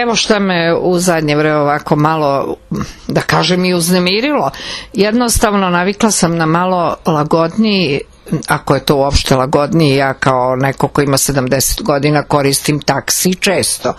Evo šta me u zadnje vreme ovako malo, da kažem, i uznemirilo. Jednostavno navikla sam na malo lagodniji, ako je to uopšte lagodniji, ja kao neko ko ima 70 godina koristim taksi često.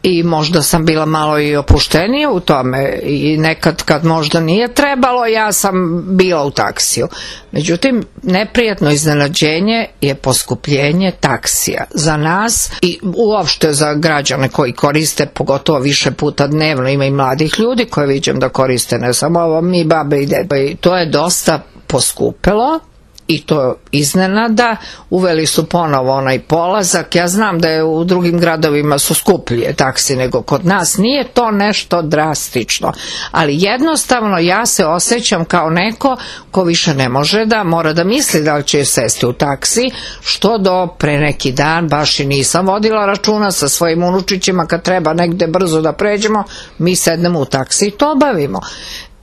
I možda sam bila malo i opuštenija u tome i nekad kad možda nije trebalo, ja sam bila u taksiju. Međutim, neprijatno iznenađenje je poskupljenje taksija za nas i uopšte za građane koji koriste, pogotovo više puta dnevno. Ima i mladih ljudi koje viđam da koriste, ne samo ovo, mi babe i dede. I to je dosta poskupelo. I to iznenada, uveli su ponovo onaj polazak. Ja znam da je u drugim gradovima su skuplje taksi nego kod nas, nije to nešto drastično, ali jednostavno ja se osjećam kao neko ko više ne može da mora da misli da li će sesti u taksi, što do pre neki dan baš i nisam vodila računa sa svojim unučićima, kad treba negde brzo da pređemo, mi sednemo u taksi i to obavimo.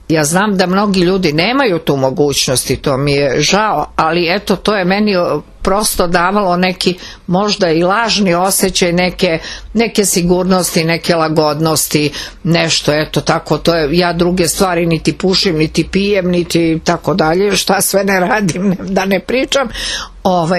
Ja znam da mnogi ljudi nemaju tu mogućnost i to mi je žao, ali eto, to je meni prosto davalo neki možda i lažni osjećaj neke sigurnosti, neke lagodnosti, nešto, eto tako, to je, ja druge stvari niti pušim, niti pijem, niti tako dalje, šta sve ne radim, da ne pričam,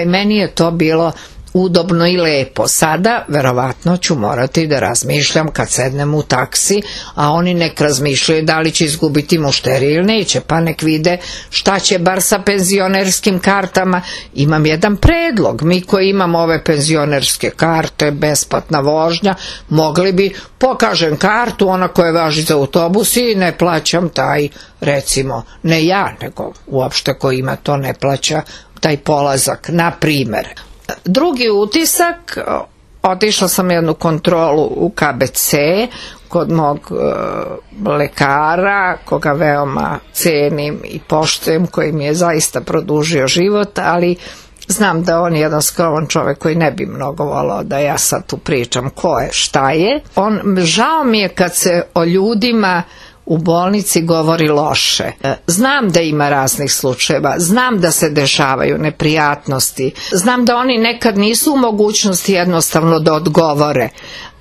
meni je to bilo udobno i lepo. Sada verovatno ću morati da razmišljam kad sednem u taksi, a oni nek razmišljaju da li će izgubiti mušterije ili neće, pa nek vide šta će bar sa penzionerskim kartama. Imam jedan predlog, mi koji imamo ove penzionerske karte, besplatna vožnja, mogli bi, pokažem kartu, ona koja važi za autobus i ne plaćam taj, recimo, ne ja, nego uopšte ko ima to ne plaća taj polazak, na primer. Drugi utisak, otišla sam jednu kontrolu u KBC kod mog lekara, koga veoma cenim i poštujem, koji mi je zaista produžio život, ali znam da on je jedan skroman čovek koji ne bi mnogo volao da ja sad tu pričam ko je, šta je. Žao mi je kad se o ljudima u bolnici govori loše. Znam da ima raznih slučajeva, znam da se dešavaju neprijatnosti, znam da oni nekad nisu u mogućnosti jednostavno da odgovore,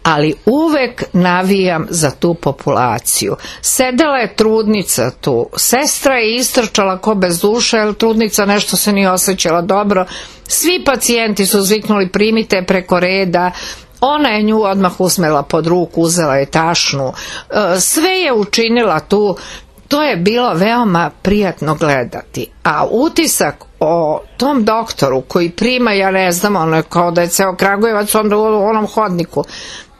ali uvek navijam za tu populaciju. Sedela je trudnica tu, sestra je istrčala ko bez duše, jer trudnica nešto se nije osjećala dobro, svi pacijenti su zviknuli primite preko reda, ona je nju odmah usmela pod ruku, uzela je tašnu, sve je učinila tu, to je bilo veoma prijatno gledati. A utisak o tom doktoru koji prima, ja ne znam, ono je kao da je ceo Kragujevac onda u onom hodniku,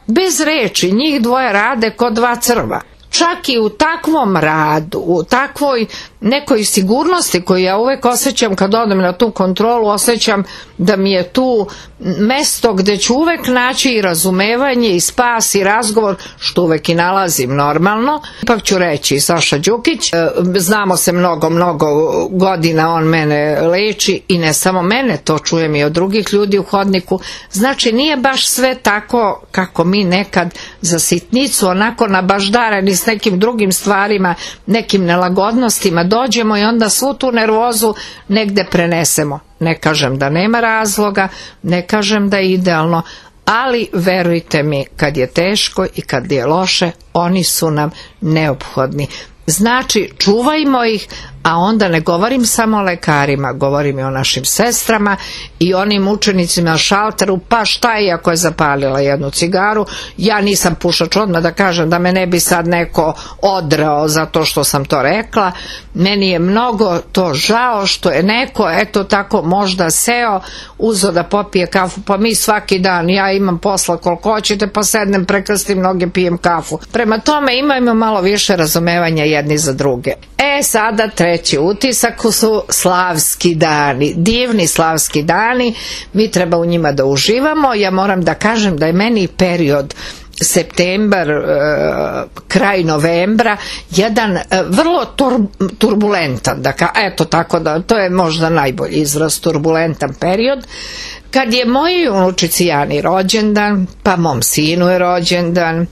bez reči, njih dvoje rade ko dva crva. Čak i u takvom radu, u takvoj nekoj sigurnosti koju ja uvek osjećam kad odem na tu kontrolu, osjećam da mi je tu mesto gde ću uvek naći i razumevanje i spas i razgovor, što uvek i nalazim normalno. Ipak ću reći, Saša Đukić, znamo se mnogo godina, on mene leči i ne samo mene, to čujem i od drugih ljudi u hodniku. Znači nije baš sve tako kako mi nekad za sitnicu onako nabaždareni s nekim drugim stvarima, nekim nelagodnostima dođemo i onda svu tu nervozu negde prenesemo. Ne kažem da nema razloga, ne kažem da je idealno, ali verujte mi, kad je teško i kad je loše, oni su nam neophodni. Znači, čuvajmo ih, a onda ne govorim samo o lekarima, govorim i o našim sestrama i onim učenicima na šalteru, pa šta je ako je zapalila jednu cigaru, ja nisam pušač, odmah da kažem da me ne bi sad neko odrao zato što sam to rekla, meni je mnogo to žao što je neko, eto tako, možda seo, uzeo da popije kafu, pa mi svaki dan, ja imam posla koliko hoćete, pa sednem, prekrstim noge, pijem kafu. Prema tome imajmo malo više razumevanja jedni za druge. Sada treći utisak su slavski dani, divni slavski dani, mi treba u njima da uživamo. Ja moram da kažem da je meni period septembar, kraj novembra, jedan vrlo turbulentan, eto tako da, to je možda najbolji izraz, turbulentan period, kad je mojoj unučici Jani rođendan, pa mom sinu je rođendan,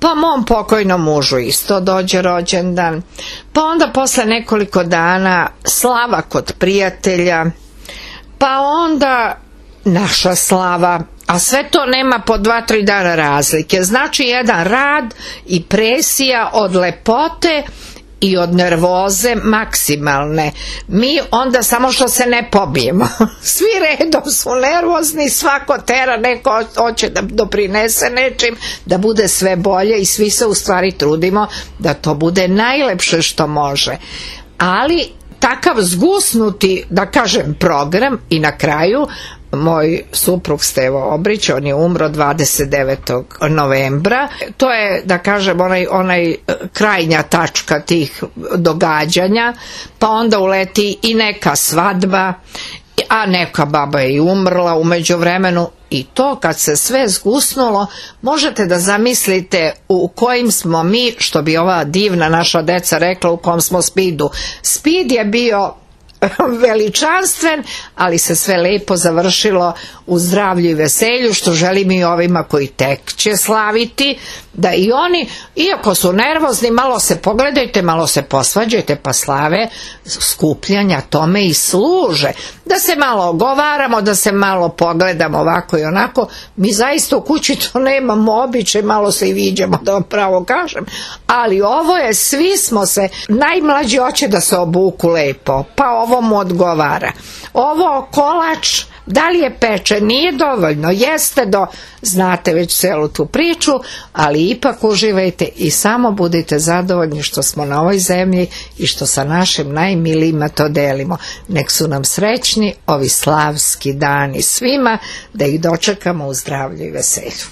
pa mom pokojnom mužu isto dođe rođendan, pa onda posle nekoliko dana slava kod prijatelja, pa onda naša slava a sve to nema po 2-3 dana razlike. Znači jedan rad i presija od lepote i od nervoze maksimalne. Mi onda samo što se ne pobijemo. Svi redom su nervozni, svako tera, neko hoće da doprinese nečim, da bude sve bolje i svi se u stvari trudimo da to bude najlepše što može. Ali takav zgusnuti, da kažem, program i na kraju moj suprug Stevo Obrić, on je umro 29. novembra. To je, da kažem, onaj krajnja tačka tih događanja, pa onda uleti i neka svadba, a neka baba je i umrla u međuvremenu. I to kad se sve zgusnulo, možete da zamislite u kojim smo mi, što bi ova divna naša deca rekla, u kom smo spidu. Speed je bio veličanstven, ali se sve lepo završilo u zdravlju i veselju, što želim i ovima koji tek će slaviti, da i oni, iako su nervozni, malo se pogledajte, malo se posvađajte, pa slave skupljanja tome i služe. Da se malo ogovaramo, da se malo pogledamo ovako i onako. Mi zaista u kući to nemamo običaj, malo se i viđamo, da vam pravo kažem, ali ovo je, svi smo se, najmlađi hoće da se obuku lepo, pa ovo mu odgovara. Ovo kolač, da li je pečen, nije dovoljno, jeste znate već celu tu priču, ali ipak uživajte i samo budite zadovoljni što smo na ovoj zemlji i što sa našim najmilijima to delimo. Nek su nam srećni ovi slavski dani svima, da ih dočekamo u zdravlju i veselju.